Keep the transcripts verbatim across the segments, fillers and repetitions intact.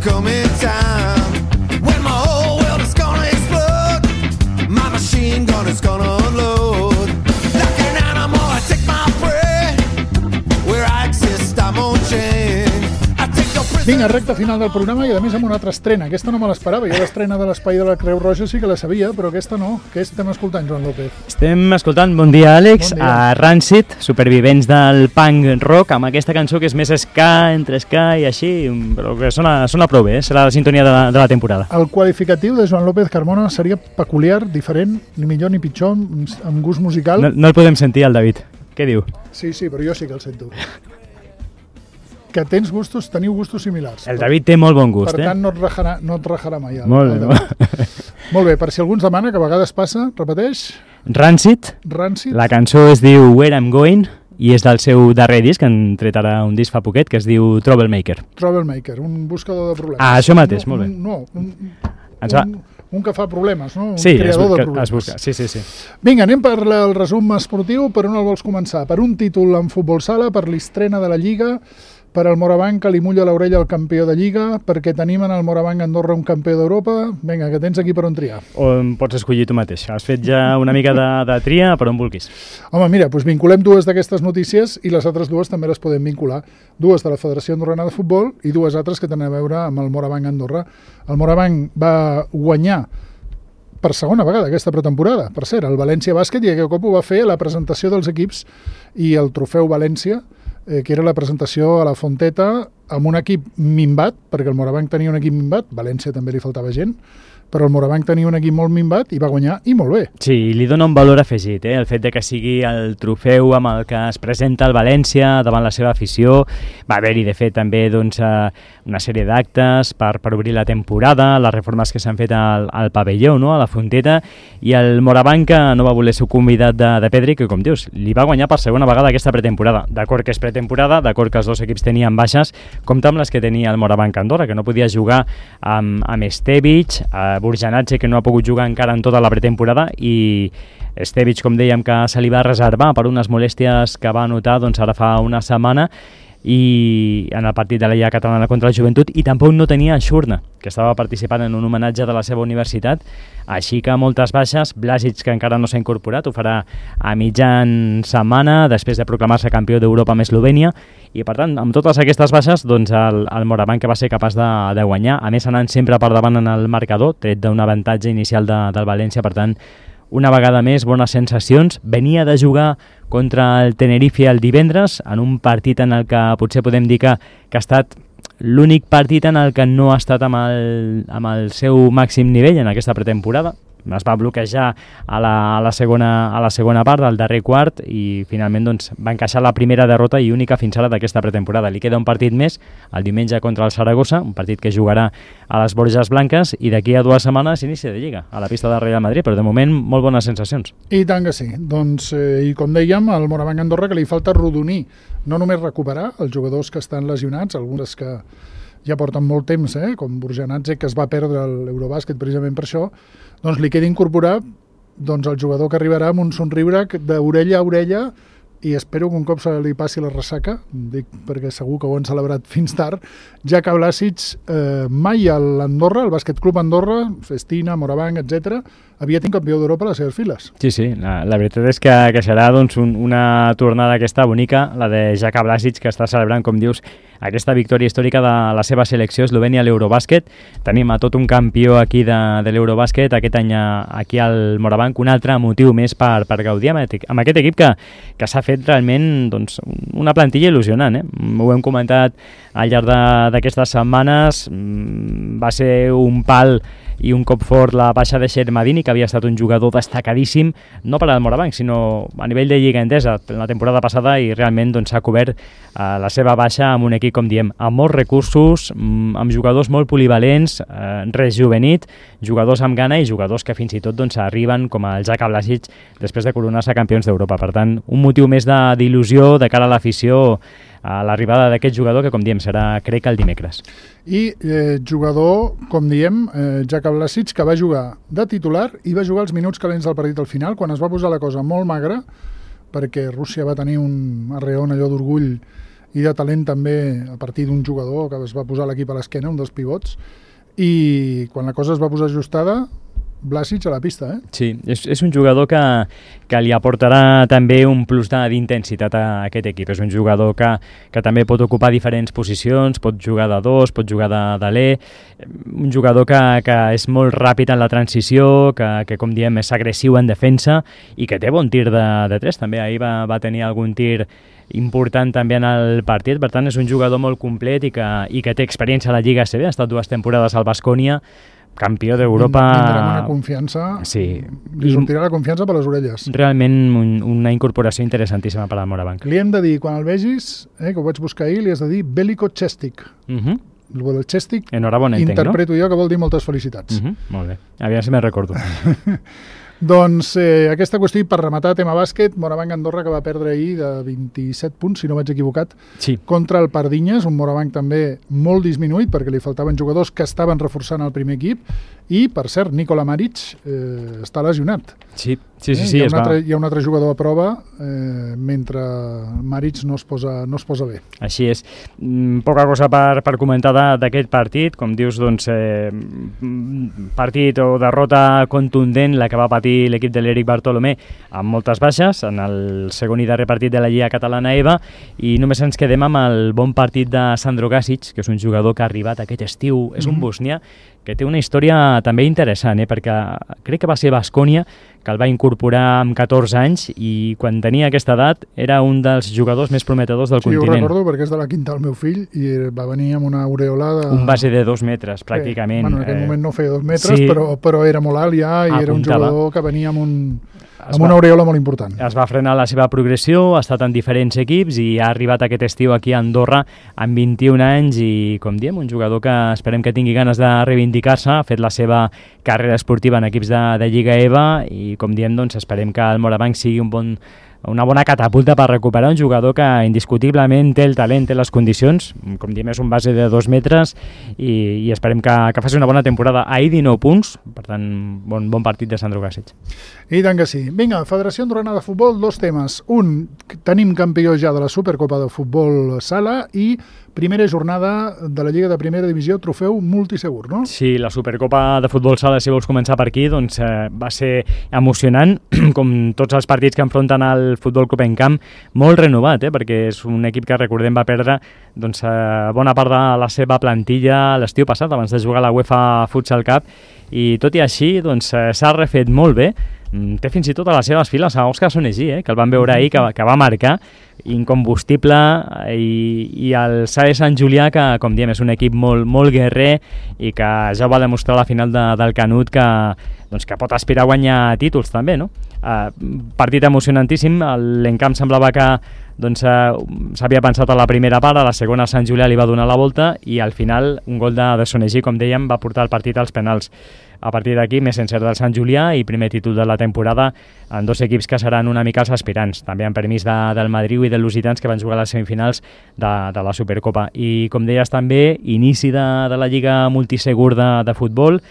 coming time when my whole world is gonna explode. My machine gun is gonna unload. Like an animal, I take my prey. Where I exist, I'm on chain. Vinga, recta final del programa i a més amb una altra estrena. Aquesta no me l'esperava. Jo l'estrena de l'Espai de la Creu Roja sí que la sabia, però aquesta no. Què estem escoltant, Joan López? Estem escoltant, bon dia, Àlex, bon dia. a Rancid, supervivents del punk rock, amb aquesta cançó que és més ska, entre ska i així, però que sona, sona prou bé, eh? Serà la sintonia de la, de la temporada. El qualificatiu de Joan López Carmona seria peculiar, diferent, ni millor ni pitjor, amb gust musical. No, no el podem sentir, el David. Què diu? Sí, sí, però jo sí que el sento. Que tens gustos, teniu gustos similars. El David té molt bon gust, per eh? tant, no et rajarà, no et rajarà mai. El, molt el bé. Molt bé, per si algú ens demana, que a vegades passa, repeteix. Rancid. Rancid. La cançó es diu Where I'm Going i és del seu darrer disc, que han tret ara un disc fa poquet, que es diu Troublemaker. Troublemaker, un buscador de problemes. Ah, això mateix, no, molt bé. No, un, Ens va... un, un que fa problemes, no? Un sí, creador busca, de problemes. Es busca. Sí, sí, sí. Vinga, anem per el resum esportiu. Per on el vols començar? Per un títol en futbol sala, per l'estrena de la Lliga, per al Morabanc que li mulla l'orella al campió de Lliga, perquè tenim en el Morabanc Andorra un campió d'Europa. Vinga, que tens aquí per on triar. O pots escollir tu mateix. Has fet ja una mica de, de tria per on vulguis. Home, mira, doncs vinculem dues d'aquestes notícies i les altres dues també les podem vincular. Dues de la Federació Andorrana de Futbol i dues altres que tenen a veure amb el Morabanc Andorra. El Morabanc va guanyar per segona vegada aquesta pretemporada. Per cert, el València Bàsquet, i aquest cop ho va fer a la presentació dels equips i el trofeu València, eh, que era la presentació a la Fonteta amb un equip minvat, perquè el Morabanc tenia un equip minvat, València també li faltava gent, però el Morabanc tenia un equip molt minvat i va guanyar, i molt bé. Sí, li dona un valor afegit, eh? El fet de que sigui el trofeu amb el que es presenta el València davant la seva afició. Va haver-hi, de fet, també doncs, una sèrie d'actes per, per obrir la temporada, les reformes que s'han fet al, al pavelló, no? A la Fonteta, i el Morabanc, que no va voler ser convidat de, de Pedri, que, com dius, li va guanyar per segona vegada aquesta pretemporada. D'acord que és pretemporada, d'acord que els dos equips tenien baixes, compte amb les que tenia el Morabanc Andorra, que no podia jugar amb, amb Estevic, a Burjanatge, que no ha pogut jugar encara en tota la pretemporada, i Estevic, com dèiem, que se li va reservar per unes molèsties que va notar doncs, ara fa una setmana, i en el partit de la Lliga Catalana contra la Joventut, i tampoc no tenia Xurna, que estava participant en un homenatge de la seva universitat, així que moltes baixes. Blasic, que encara no s'ha incorporat, ho farà a mitjan setmana, després de proclamar-se campió d'Europa amb Eslovènia, i per tant, amb totes aquestes baixes, doncs el, el Morabanc que va ser capaç de, de guanyar, a més anant sempre per davant en el marcador, tret d'un avantatge inicial de, del València, per tant, una vegada més, bones sensacions. Venia de jugar contra el Tenerife el divendres, en un partit en el que potser podem dir que, que ha estat l'únic partit en el que no ha estat amb el, amb el seu màxim nivell en aquesta pretemporada. Es va bloquejar a la, a la, segona, a la segona part del darrer quart i finalment doncs, va encaixar la primera derrota i única fins ara d'aquesta pretemporada. Li queda un partit més, el diumenge contra el Saragossa, un partit que jugarà a les Borges Blanques, i d'aquí a dues setmanes inici de Lliga a la pista del Real Madrid, però de moment molt bones sensacions. I tant que sí. Doncs, eh, i com dèiem, al Morabanc Andorra que li falta rodonir, no només recuperar els jugadors que estan lesionats, alguns que ja porten molt temps, eh, com Burjanatze, que es va perdre l'Eurobàsquet precisament per això, doncs li queda incorporar doncs, el jugador que arribarà amb un somriure d'orella a orella, i espero que un cop se li passi la ressaca, dic perquè segur que ho han celebrat fins tard, ja que Blasic eh, mai a l'Andorra, el Bàsquet Club Andorra, Festina, Morabanc, etcètera, havia tingut campió d'Europa a les seves files. Sí, sí, la, la veritat és que, que serà doncs, un, una tornada aquesta bonica, la de Jaka Blasic, que està celebrant, com dius, aquesta victòria històrica de la seva selecció eslovènia a l'Eurobàsquet. Tenim a tot un campió aquí de, de l'Eurobàsquet, aquest any aquí al Morabanc, un altre motiu més per, per gaudir amb, amb aquest equip que, que s'ha fet realment doncs, una plantilla il·lusionant. Eh? Ho hem comentat al llarg d'aquestes setmanes, va ser un pal i un cop fort la baixa de Xermadini, que havia estat un jugador destacadíssim, no per al Morabanc, sinó a nivell de Lliga Endesa la temporada passada, i realment doncs, s'ha cobert eh, la seva baixa amb un equip, com diem, amb molts recursos, amb jugadors molt polivalents, eh, rejuvenit, jugadors amb gana i jugadors que fins i tot doncs, arriben com el Jaka Blasic després de coronar-se campions d'Europa. Per tant, un motiu més d'il·lusió de cara a l'afició a l'arribada d'aquest jugador, que com diem serà, crec, el dimecres. I eh, jugador, com diem, eh, Jaka Blasic, que va jugar de titular i va jugar els minuts calents del partit al final, quan es va posar la cosa molt magra, perquè Rússia va tenir un arreon allò d'orgull i de talent també a partir d'un jugador que es va posar l'equip a l'esquena, un dels pivots, i quan la cosa es va posar ajustada, Vlasic a la pista, eh? Sí, és, és un jugador que, que li aportarà també un plus d'intensitat a aquest equip. És un jugador que, que també pot ocupar diferents posicions, pot jugar de dos, pot jugar de, de l'E, un jugador que, que és molt ràpid en la transició, que, que com diem és agressiu en defensa i que té bon tir de, de tres també. Ahir va, va tenir algun tir important també en el partit, per tant és un jugador molt complet i que, i que té experiència a la Lliga A C B, ha estat dues temporades al Baskonia, campió d'Europa. Vindrà amb una confiança, sí. Li sortirà la confiança per les orelles. Realment un, una incorporació interessantíssima per al Morabanc. Li hem de dir, quan el vegis, eh, que ho vaig buscar ahir, li has de dir Veliko Chestik. Uh -huh. El Chestik, enhorabona, entenc, interpreto no? jo, que vol dir moltes felicitats. Uh -huh. Molt bé, aviam si me'n recordo. Doncs eh, aquesta qüestió, per rematar tema bàsquet, Morabanc Andorra, que va perdre ahir de vint-i-set punts, si no vaig equivocat, sí. contra el Pardinyes, un Morabanc també molt disminuït perquè li faltaven jugadors que estaven reforçant el primer equip i, per cert, Nikola Maric eh, està lesionat. Sí, sí, sí. Eh? sí hi, ha es un va... altre, hi ha un altre jugador a prova eh, mentre Maric no es posa, no es posa bé. Així és. Mm, poca cosa per, per comentar d'aquest partit. Com dius, doncs, eh, partit o derrota contundent la que va patir l'equip de l'Eric Bartolomé amb moltes baixes en el segon i darrer partit de la Lliga Catalana EVA, i només ens quedem amb el bon partit de Sandro Gasic, que és un jugador que ha arribat aquest estiu, és un Mm-hmm. bosnià que té una història també interessant, eh? perquè crec que va ser Baskonia que el va incorporar amb catorze anys i quan tenia aquesta edat era un dels jugadors més prometedors del sí, continent. Sí, ho recordo perquè és de la quinta del meu fill i va venir amb una aureola de... Un base de dos metres, pràcticament. Eh, bueno, en aquell eh... moment no feia dos metres, sí. però, però era molt alt ja i Apuntava. Era un jugador que venia amb, un, Es amb va... una aureola molt important. Es va frenar la seva progressió, ha estat en diferents equips i ha arribat aquest estiu aquí a Andorra amb vint-i-un anys i, com diem, un jugador que esperem que tingui ganes de reivindicar-se, ha fet la seva carrera esportiva en equips de, de Lliga EVA i, com diem, doncs, esperem que el Morabanc sigui un bon, una bona catapulta per recuperar un jugador que indiscutiblement té el talent, té les condicions, com diem, és un base de dos metres i, i esperem que, que faci una bona temporada. Ahir dinou punts, per tant, bon, bon partit de Sandro Gasic. I tant que sí. Vinga, Federació Andorrana de Futbol, dos temes. Un, tenim campió ja de la Supercopa de Futbol Sala i primera jornada de la Lliga de Primera Divisió, trofeu multisegur, no? Sí, la Supercopa de Futbol Sala, si vols començar per aquí, doncs eh, va ser emocionant, com tots els partits que enfronten al Futbol Club Encamp, molt renovat, eh, perquè és un equip que, recordem, va perdre doncs, eh, bona part de la seva plantilla l'estiu passat, abans de jugar a la UEFA Futsal Cup, i tot i així doncs, eh, s'ha refet molt bé. Té fins i tot a les seves files a Òscar Sonegí, eh, que el van veure ahir, que, que va marcar, incombustible, i, i el S A E Sant Julià, que, com diem, és un equip molt, molt guerrer i que ja ho va demostrar a la final de, del Canut que, doncs, que pot aspirar a guanyar títols també, no? Uh, partit emocionantíssim, l'Encamp semblava que doncs, uh, s'havia pensat a la primera part, a la segona Sant Julià li va donar la volta i al final un gol de, de Sonegí, com dèiem, va portar el partit als penals. A partir d'aquí, més encert del Sant Julià i primer títol de la temporada en dos equips que seran una mica els aspirants, també en permís de, del Madrid i dels Lusitans, que van jugar a les semifinals de, de la Supercopa. I, com deies també, inici de, de la Lliga Multisegur de, de futbol,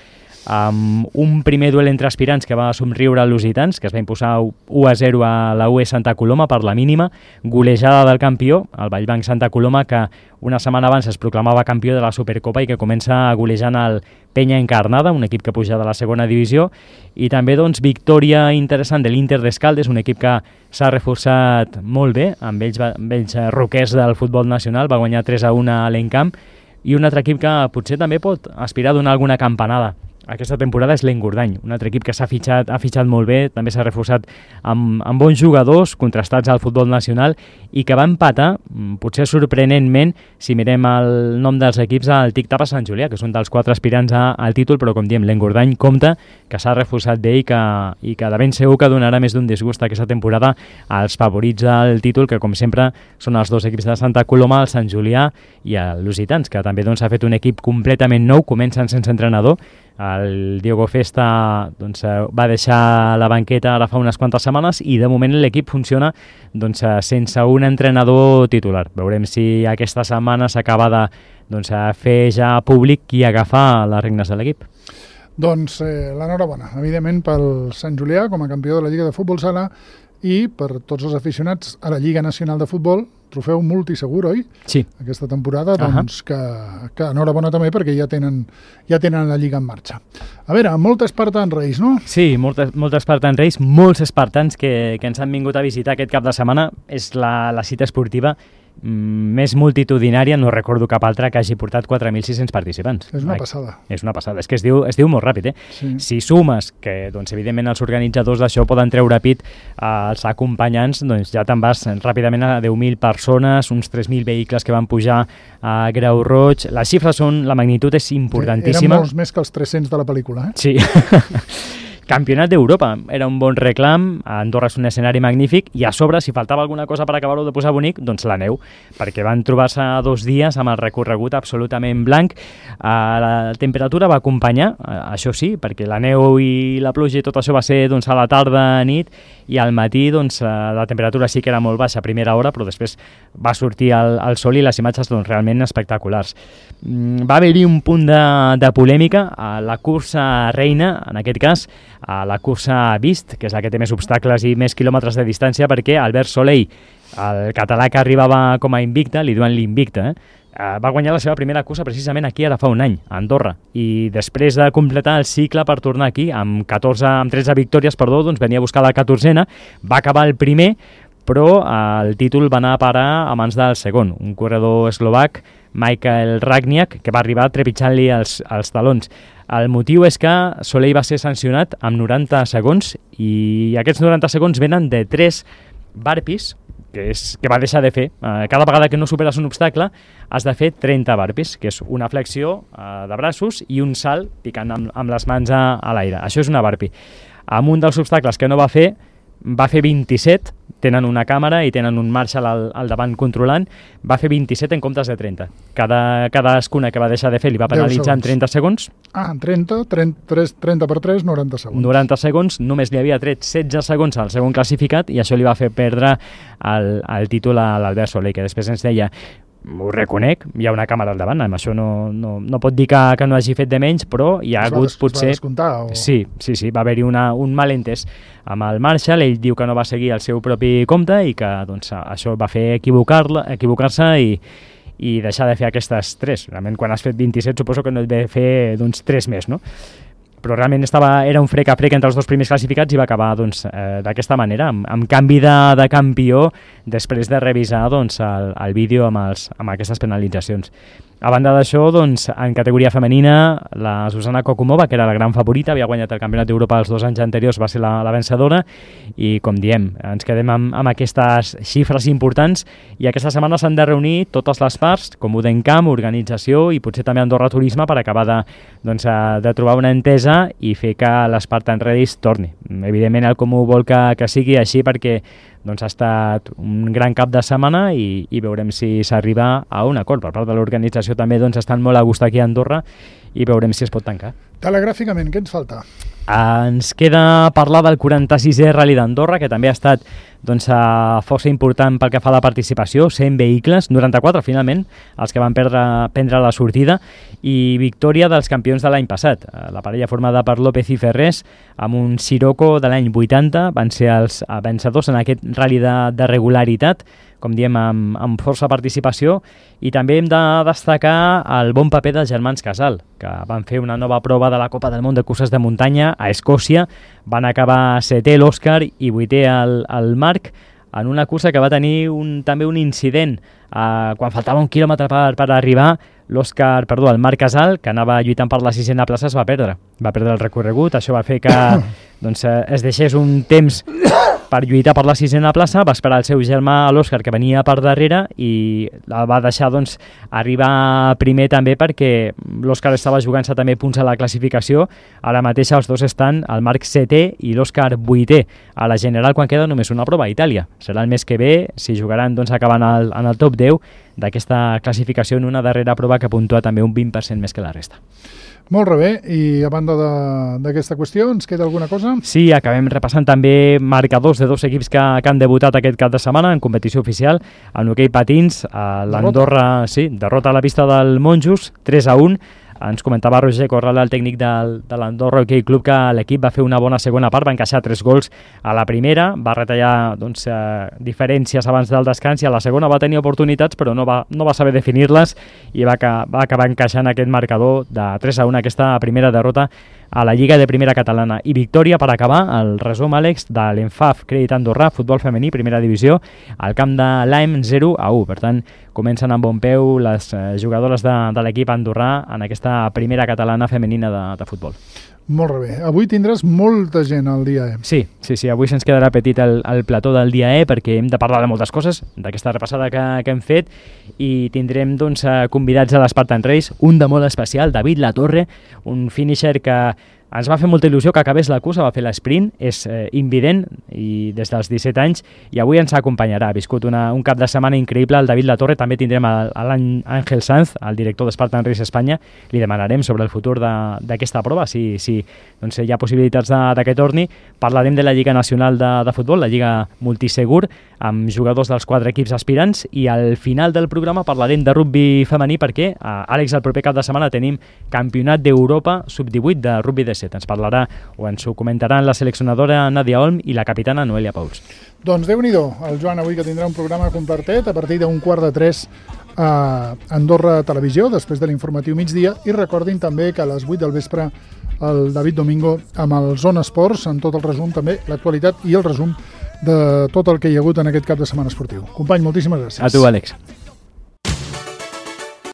amb un primer duel entre aspirants que va somriure als Lusitans, que es va imposar u a zero a la U E Santa Coloma per la mínima, golejada del campió, el Vallbanc Santa Coloma, que una setmana abans es proclamava campió de la Supercopa i que comença golejant el Penya Encarnada, un equip que puja de la segona divisió, i també doncs, victòria interessant de l'Inter d'Escaldes, un equip que s'ha reforçat molt bé, amb ells, amb ells roquers del futbol nacional, va guanyar tres a u a l'Encamp, i un altre equip que potser també pot aspirar a donar alguna campanada aquesta temporada és l'Engordany, un altre equip que s'ha fitxat, ha fitxat molt bé, també s'ha reforçat amb, amb bons jugadors contrastats al futbol nacional i que va empatar, potser sorprenentment, si mirem el nom dels equips, al Tic-Tap a Sant Julià, que són dels quatre aspirants a, al títol, però com diem, l'Engordany compta que s'ha reforçat bé i que, i que de ben segur que donarà més d'un disgust aquesta temporada als favorits al títol, que com sempre són els dos equips de Santa Coloma, el Sant Julià i el Lusitans, que també doncs, ha fet un equip completament nou, comencen sense entrenador. El Diego Festa doncs, va deixar la banqueta ara fa unes quantes setmanes i de moment l'equip funciona doncs, sense un entrenador titular. Veurem si aquesta setmana s'acaba de doncs, fer ja públic qui agafa les regnes de l'equip. Doncs eh, l'enhorabona, evidentment, pel Sant Julià com a campió de la Lliga de Futbol Sala i per tots els aficionats a la Lliga Nacional de Futbol, trofeu multisegur, oi? Sí. Aquesta temporada, doncs, uh -huh. que, que enhorabona també perquè ja tenen, ja tenen la Lliga en marxa. A veure, molts Spartan Race, no? Sí, moltes, moltes Spartan Race, molts espartans que, que ens han vingut a visitar aquest cap de setmana. És la, la cita esportiva més multitudinària, no recordo cap altra que hagi portat quatre mil sis-cents participants. És una passada. És una passada, és que es diu, es diu molt ràpid, eh? Sí. Si sumes que, doncs, evidentment, els organitzadors d'això poden treure pit als acompanyants, doncs ja te'n vas ràpidament a deu mil persones, uns tres mil vehicles que van pujar a Grau Roig. Les xifres són, la magnitud és importantíssima. Eren molts més que els tres-cents de la pel·lícula, eh? Sí. Campionat d'Europa, era un bon reclam, Andorra és un escenari magnífic i a sobre, si faltava alguna cosa per acabar-ho de posar bonic, doncs la neu, perquè van trobar-se dos dies amb el recorregut absolutament blanc. La temperatura va acompanyar, això sí, perquè la neu i la pluja i tot això va ser doncs, a la tarda, nit, i al matí doncs, la temperatura sí que era molt baixa a primera hora, però després va sortir el, el sol i les imatges doncs, realment espectaculars. Va haver-hi un punt de, de polèmica a la cursa reina, en aquest cas, a la cursa Vist, que és la que té més obstacles i més quilòmetres de distància, perquè Albert Soleil, el català que arribava com a invicte, li diuen l'invicte, eh? va guanyar la seva primera cursa precisament aquí ara fa un any, a Andorra, i després de completar el cicle per tornar aquí, amb, catorze, amb tretze victòries, perdó, doncs venia a buscar la catorzena, va acabar el primer, però el títol va anar a parar a mans del segon, un corredor eslovac, Michael Ragniak, que va arribar trepitjant-li els, els talons. El motiu és que Soleil va ser sancionat amb noranta segons i aquests noranta segons venen de tres burpees que, és, que va deixar de fer. Uh, cada vegada que no superes un obstacle has de fer trenta burpees, que és una flexió uh, de braços i un salt picant amb, amb les mans a, a l'aire. Això és una burpee. Amb un dels obstacles que no va fer, va fer vint-i-set, tenen una càmera i tenen un Marshall al, al davant controlant, va fer vint-i-set en comptes de trenta. Cada, cadascuna que va deixar de fer li va penalitzar en trenta segons. Ah, en trenta, trenta, trenta per tres, noranta segons. noranta segons, només li havia tret setze segons al segon classificat i això li va fer perdre el, el títol a l'Albert Soleil, que després ens deia: ho reconec, hi ha una càmera al davant, amb això no, no, no pot dir que, que no hagi fet de menys, però hi ha es hagut va, potser... Es va descomptar, o... Sí, sí, sí, va haver-hi un malentès amb el Marshall, ell diu que no va seguir el seu propi compte i que doncs, això va fer equivocar-se equivocar i, i deixar de fer aquestes tres. Realment, quan has fet vint-i-set, suposo que no et ve fer doncs, tres més, no? Però realment estava, era un frec a frec entre els dos primers classificats i va acabar doncs, eh, d'aquesta manera, amb, amb canvi de, de campió després de revisar doncs, el, el vídeo amb, els, amb aquestes penalitzacions. A banda d'això, doncs, en categoria femenina, la Susana Kokumova, que era la gran favorita, havia guanyat el Campionat d'Europa els dos anys anteriors, va ser la, la vencedora, i com diem, ens quedem amb, amb aquestes xifres importants, i aquesta setmana s'han de reunir totes les parts, com Udencamp, organització, i potser també Andorra Turisme, per acabar de, doncs, de trobar una entesa i fer que l'Spartan Race torni. Evidentment, el Comú vol que, que sigui així, perquè doncs ha estat un gran cap de setmana i, i veurem si s'arriba a un acord. Per part de l'organització també doncs, estan molt a gust aquí a Andorra i veurem si es pot tancar. Telegràficament, què ens falta? Ens queda parlar del quaranta-sisè Rally d'Andorra, que també ha estat doncs, força important pel que fa a la participació, cent vehicles, noranta-quatre finalment, els que van perdre, prendre la sortida, i victòria dels campions de l'any passat. La parella formada per López i Ferrés, amb un Sirocco de l'any vuitanta, van ser els vencedors en aquest rally de, de regularitat, com diem, amb, amb força participació, i també hem de destacar el bon paper dels germans Casal, que van fer una nova prova de la Copa del Món de curses de muntanya a Escòcia, van acabar setè l'Òscar i vuitè el, el Marc, en una cursa que va tenir un, també un incident. Uh, quan faltava un quilòmetre per, per arribar, l'Òscar, perdó, el Marc Casal, que anava lluitant per la sisena plaça, es va perdre. Va perdre el recorregut, això va fer que doncs, es deixés un temps per lluitar per la sisena plaça, va esperar el seu germà, l'Òscar, que venia per darrere, i la va deixar doncs, arribar primer també perquè l'Òscar estava jugant-se també punts a la classificació. Ara mateix els dos estan, el Marc setè i l'Òscar vuitè a la general, quan queda només una prova a Itàlia. Serà el mes que ve, si jugaran doncs, acabant el, en el top deu d'aquesta classificació en una darrera prova que puntua també un vint per cent més que la resta. Molt bé, i a banda d'aquesta qüestió, ens queda alguna cosa? Sí, acabem repassant també marcadors de dos equips que, que han debutat aquest cap de setmana en competició oficial. En hoquei patins, l'Andorra, sí, derrota a la pista del Monjos, tres a un, Ens comentava Roger Corral, el tècnic del, de l'Andorra Hockey Club, que l'equip va fer una bona segona part, va encaixar tres gols a la primera, va retallar doncs, eh, diferències abans del descans, i a la segona va tenir oportunitats però no va, no va saber definir-les i va, va acabar encaixant aquest marcador de tres a un, aquesta primera derrota a la Lliga de Primera Catalana. I victòria, per acabar, el resum, Àlex, de l'Enfaf Crèdit Andorrà, futbol femení, primera divisió, al camp de l'A E M zero a u. Per tant, comencen amb bon peu les eh, jugadores de, de l'equip andorrà en aquesta primera catalana femenina de, de futbol. Molt bé. Avui tindràs molta gent al dia E. Sí, sí, sí. Avui se'ns quedarà petit el, el plató del dia E perquè hem de parlar de moltes coses, d'aquesta repassada que, que hem fet, i tindrem doncs, convidats a l'Spartan Race, un de molt especial, David Latorre, un finisher que ens va fer molta il·lusió que acabés la cursa, va fer l'esprint, és eh, invident i des dels disset anys, i avui ens acompanyarà. Ha viscut una, un cap de setmana increïble el David Latorre. També tindrem a, a l'Àngel Sanz, el director d'Spartan Race Espanya. Li demanarem sobre el futur d'aquesta prova, si, si doncs, hi ha possibilitats de, de que torni. Parlarem de la Lliga Nacional de, de Futbol, la Lliga Multisegur, amb jugadors dels quatre equips aspirants, i al final del programa parlarem de rugbi femení perquè, a Àlex, el proper cap de setmana tenim Campionat d'Europa sub divuit de rugbi de set. Ens parlarà o ens ho comentaran la seleccionadora Nadia Olm i la capitana Noelia Pauls. Doncs Déu-n'hi-do, el Joan avui, que tindrà un programa completet a partir d'un quart de tres a Andorra Televisió, després de l'informatiu migdia, i recordin també que a les vuit del vespre el David Domingo amb el Zona Esports, en tot el resum també, l'actualitat i el resum de tot el que hi ha hagut en aquest cap de setmana esportiu. Company, moltíssimes gràcies. A tu, Àlex.